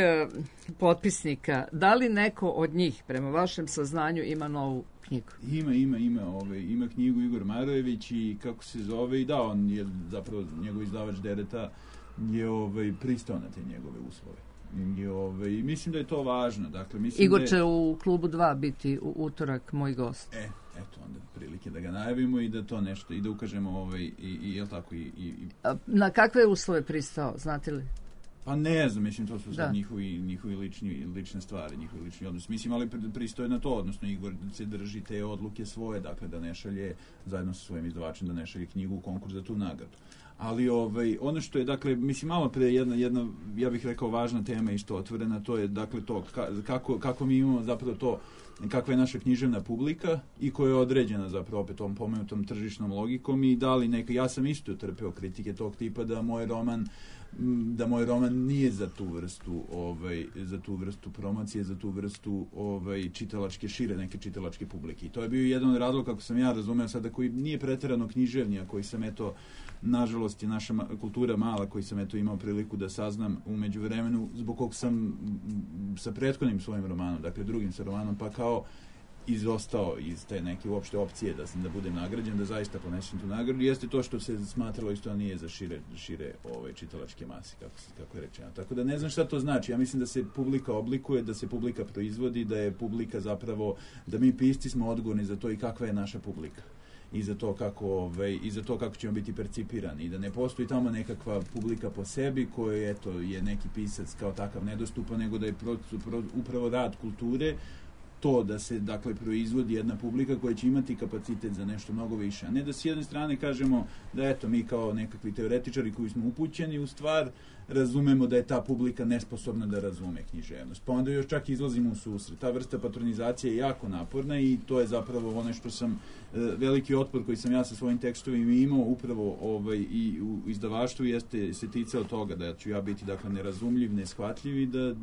potpisnika, da li neko od njih, prema vašem saznanju, ima novu knjigu? Ima knjigu Igor Marojević i kako se zove, i on je zapravo njegov izdavač Dereta je pristao na te njegove uslove. I mislim da je to važno. Dakle, Igor će u klubu 2 biti u utorak moj gost. Eto onda prilike da ga najavimo i da to nešto, i da ukažemo jel tako Na kakve uslove pristao, znate li? Pa ne znam, mislim, to su sad njihovi lične stvari, njihovi lični odnos. Mislim, ali pristoje na to, odnosno Igor se drži te odluke svoje, dakle da ne šalje, zajedno sa svojim izdavačem, da ne šalje knjigu u konkurs za tu nagradu. Ali ono što je, dakle, mislim, malo pre jedna, ja bih rekao, važna tema isto otvorena, to je, dakle, to kako mi imamo zapravo to, kakva je naša književna publika i koja je određena zapravo opet tom pomenutom tržišnom logikom i da li neka, ja sam isto trpeo kritike tog tipa da moj roman nije za tu vrstu promocije, za tu vrstu čitalačke, neke čitalačke publike. I to je bio jedan od razloga, kako sam ja razumeo sada, koji nije pretjerano književni, a koji sam nažalost je naša kultura mala, koji sam imao priliku da saznam u međuvremenu, zbog kog sam sa prethodnim svojim romanom, dakle drugim sa romanom, pa kao izostao iz te neke uopšte opcije da budem nagrađen, da zaista ponesem tu nagradu, jeste to što se smatralo isto da nije za šire čitalačke mase, kako je rečeno. Tako da ne znam šta to znači. Ja mislim da se publika oblikuje, da se publika proizvodi, da je publika zapravo, da mi pisci smo odgovorni za to i kakva je naša publika. I za to kako ćemo biti percipirani i da ne postoji tamo nekakva publika po sebi koja je neki pisac kao takav nedostupan, nego da je upravo rad kulture to da se, dakle, proizvodi jedna publika koja će imati kapacitet za nešto mnogo više. A ne da s jedne strane kažemo da mi kao nekakvi teoretičari koji smo upućeni u stvar razumemo da je ta publika nesposobna da razume književnost. Pa onda još čak izlazimo u susret. Ta vrsta patronizacije je jako naporna i to je zapravo ono što sam, veliki otpor koji sam ja sa svojim tekstovima imao upravo i u izdavaštvu jeste se ticao toga da ću ja biti, dakle, nerazumljiv, neshvatljiv i da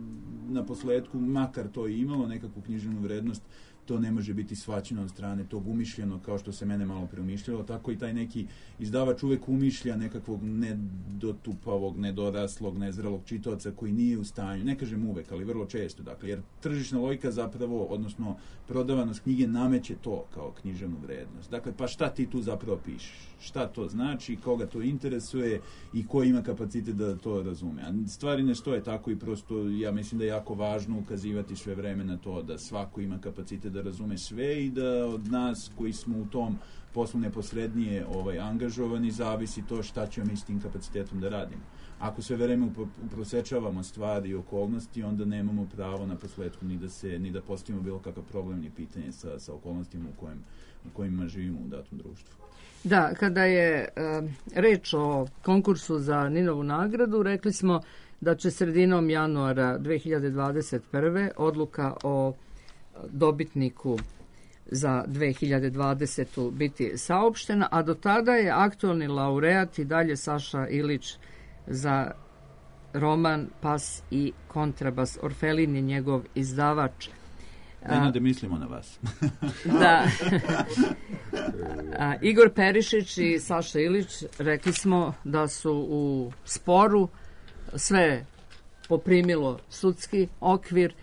na posledku, makar to i imalo nekakvu književnu vrednost, to ne može biti shvaćeno od strane tog umišljenog, kao što se mene malo preumišljalo, tako i taj neki izdavač uvek umišlja nekakvog nedotupavog, nedoraslog, nezrelog čitaoca koji nije u stanju, ne kažem uvek, ali vrlo često, dakle, jer tržišna logika zapravo, odnosno prodavanost knjige nameće to kao književnu vrednost. Dakle, pa šta ti tu zapravo pišeš? Šta to znači, koga to interesuje i ko ima kapacitet da to razume. A stvari ne stoje tako i prosto ja mislim da je jako važno ukazivati sve vreme na to da svako ima kapacitet da razume sve i da od nas koji smo u tom poslu neposrednije angažovani zavisi to šta ćemo mi s tim kapacitetom da radimo. Ako sve vreme prosečavamo stvari i okolnosti, onda nemamo pravo na posledku ni da postavimo bilo kakav problem ni pitanje sa okolnostima u kojima živimo u datom društvu. Da, kada je reč o konkursu za Ninovu nagradu, rekli smo da će sredinom januara 2021. odluka o dobitniku za 2020. biti saopštena, a do tada je aktualni laureat i dalje Saša Ilić za roman Pas i kontrabas. Orfelin je njegov izdavač. Nenade, mislimo na vas. Da. Igor Perišić i Saša Ilić, rekli smo da su u sporu, sve poprimilo sudski okvir.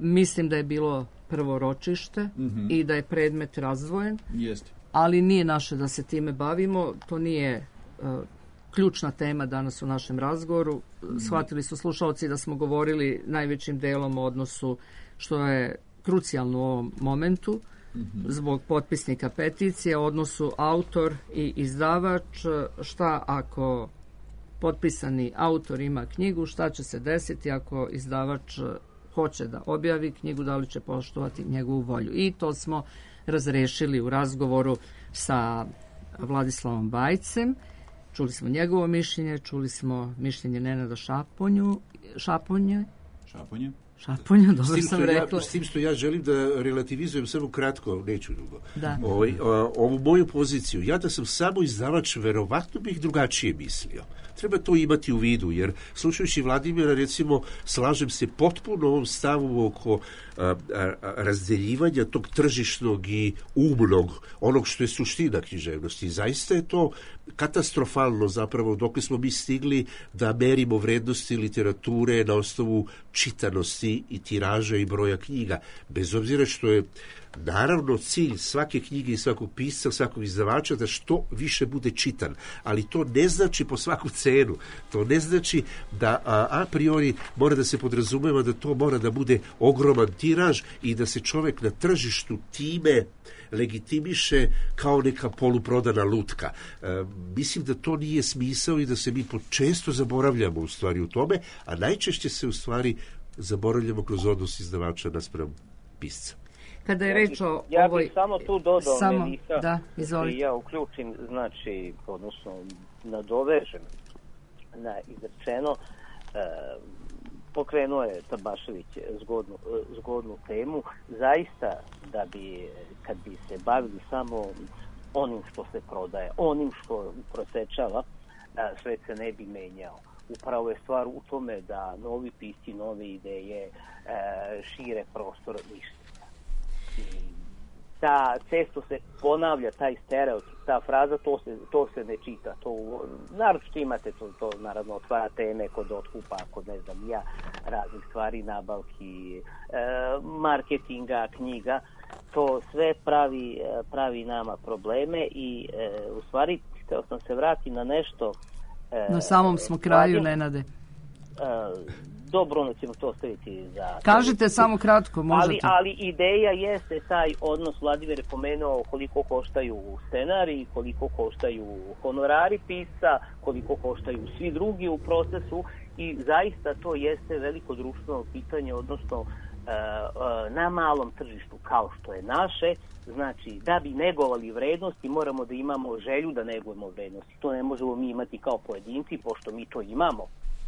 Mislim da je bilo prvo ročište i da je predmet razdvojen. Jeste. Ali nije naše da se time bavimo, to nije ključna tema danas u našem razgovoru. Shvatili su slušalci da smo govorili najvećim delom o odnosu, što je krucijalno u ovom momentu, zbog potpisnika peticije, odnosu autor i izdavač. Šta ako potpisani autor ima knjigu, šta će se desiti ako izdavač hoće da objavi knjigu, da li će poštovati njegovu volju. I to smo razrešili u razgovoru sa Vladislavom Bajcem. Čuli smo njegovo mišljenje, čuli smo mišljenje Nenada Šaponje, dobro sam rekla. S tim što ja želim da relativizujem samo kratko, neću dugo. Da. Ovu moju poziciju, ja da sam samo izdavač, verovatno bih drugačije mislio. Treba to imati u vidu, jer slušajući Vladimira, recimo, slažem se potpuno ovom stavu oko razdeljivanja tog tržišnog i umnog, onog što je suština književnosti. Zaista je to katastrofalno zapravo dok smo mi stigli da merimo vrednosti literature na osnovu čitanosti i tiraža i broja knjiga. Bez obzira što je naravno cilj svake knjige i svakog pisca, svakog izdavača da što više bude čitan, ali to ne znači po svaku cenu. To ne znači da a priori mora da se podrazumeva da to mora da bude ogroman tiraž i da se čovek na tržištu time legitimiše kao neka poluprodana lutka. Mislim da to nije smisao i da se mi često zaboravljamo u stvari u tome, a najčešće se u stvari zaboravljamo kroz odnos izdavača naspram pisca. Kada je reč o ja ovoj... bih samo tu dodao, Melisa, da, izvolite. Ja uključim, znači, odnosno nadovežem na izrečeno, pokrenuo je Tabašević zgodnu temu, zaista da bi, kad bi se bavili samo onim što se prodaje, onim što prosečava, svet se ne bi menjao. Upravo je stvar u tome da novi pisci, nove ideje šire prostor mišljenja. Da često se ponavlja taj stereotip, ta fraza, to se ne čita. Naročito imate to naravno otvara teme kod otkupa, kod ne znam ja, raznih stvari, nabavki, marketinga, knjiga. To sve pravi nama probleme i u stvari htio sam se vratiti na nešto. Na samom smo kraju, Nenade. Dobro, onda ćemo to ostaviti za... Kažite samo kratko, možete. Ali ideja jeste taj odnos, Vladimir je pomenuo koliko koštaju scenari, koliko koštaju honorari pisca, koliko koštaju svi drugi u procesu i zaista to jeste veliko društveno pitanje, odnosno na malom tržištu kao što je naše, znači da bi negovali vrednosti moramo da imamo želju da negujemo vrednosti. To ne možemo mi imati kao pojedinci, pošto mi to imamo.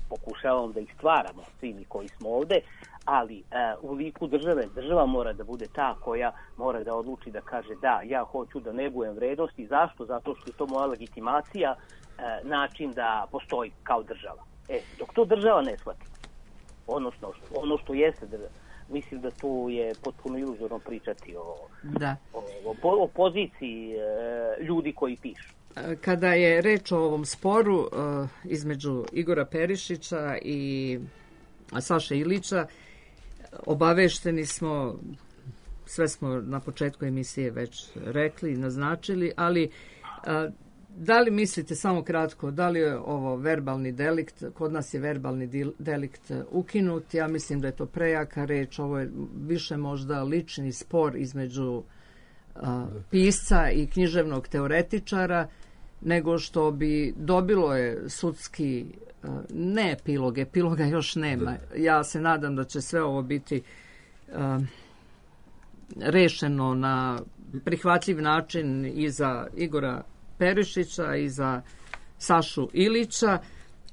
Pokušavamo da ih stvaramo, svi mi koji smo ovde, ali u liku država mora da bude ta koja mora da odluči da kaže da, ja hoću da negujem vrednosti. Zašto? Zato što je to moja legitimacija, način da postoji kao država. Dok to država ne shvati, odnosno ono što jeste država, mislim da tu je potpuno iluzorno pričati o poziciji ljudi koji pišu. Kada je reč o ovom sporu između Igora Perišića i Saše Ilića, obavešteni smo, sve smo na početku emisije već rekli, naznačili, ali da li mislite, samo kratko, da li je ovo verbalni delikt? Kod nas je verbalni delikt ukinut, ja mislim da je to prejaka reč, ovo je više možda lični spor između pisca i književnog teoretičara, nego što bi dobilo je sudski, ne epiloga još nema. Ja se nadam da će sve ovo biti rešeno na prihvatljiv način i za Igora Perišića i za Sašu Ilića,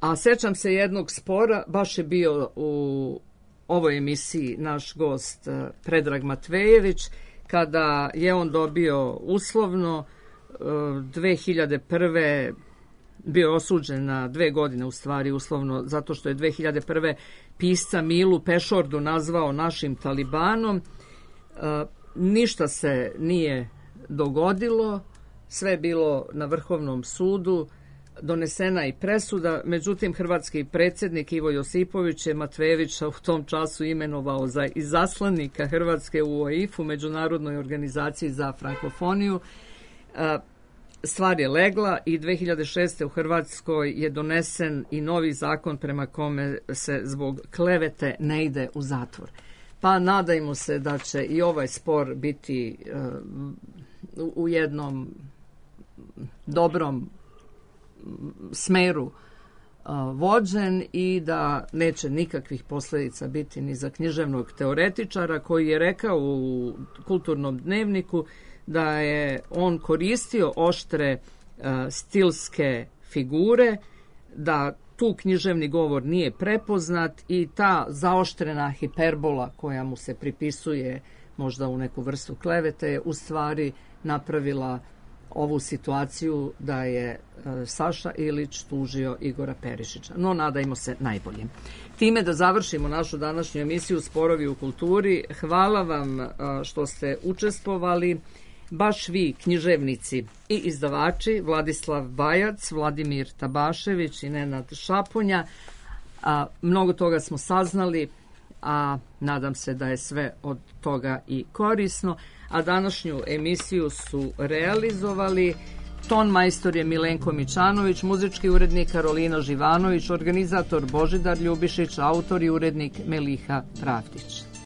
a sećam se jednog spora, baš je bio u ovoj emisiji naš gost Predrag Matvejević, kada je on dobio uslovno 2001. bio osuđen na 2 godine, u stvari uslovno, zato što je 2001. pisca Milu Pešordu nazvao našim talibanom. Ništa se nije dogodilo, sve je bilo na Vrhovnom sudu, donesena i presuda, međutim hrvatski predsjednik Ivo Josipović je Matvejevića u tom času imenovao za izaslanika Hrvatske u OIF-u, Međunarodnoj organizaciji za frankofoniju. Stvar je legla i 2006. u Hrvatskoj je donesen i novi zakon prema kome se zbog klevete ne ide u zatvor. Pa nadajmo se da će i ovaj spor biti u jednom dobrom smeru vođen i da neće nikakvih posljedica biti ni za književnog teoretičara koji je rekao u Kulturnom dnevniku da je on koristio oštre stilske figure, da tu književni govor nije prepoznat i ta zaoštrena hiperbola koja mu se pripisuje možda u neku vrstu klevete je u stvari napravila ovu situaciju da je Saša Ilić tužio Igora Perišića. No, nadajmo se najboljim. Time da završimo našu današnju emisiju Sporovi u kulturi. Hvala vam što ste učestvovali. Baš vi, književnici i izdavači, Vladislav Bajac, Vladimir Tabašević i Nenad Šaponja. Mnogo toga smo saznali, a nadam se da je sve od toga i korisno. A današnju emisiju su realizovali ton majstor je Milenko Mičanović, muzički urednik Karolina Živanović, organizator Božidar Ljubišić, autor i urednik Meliha Pravdić.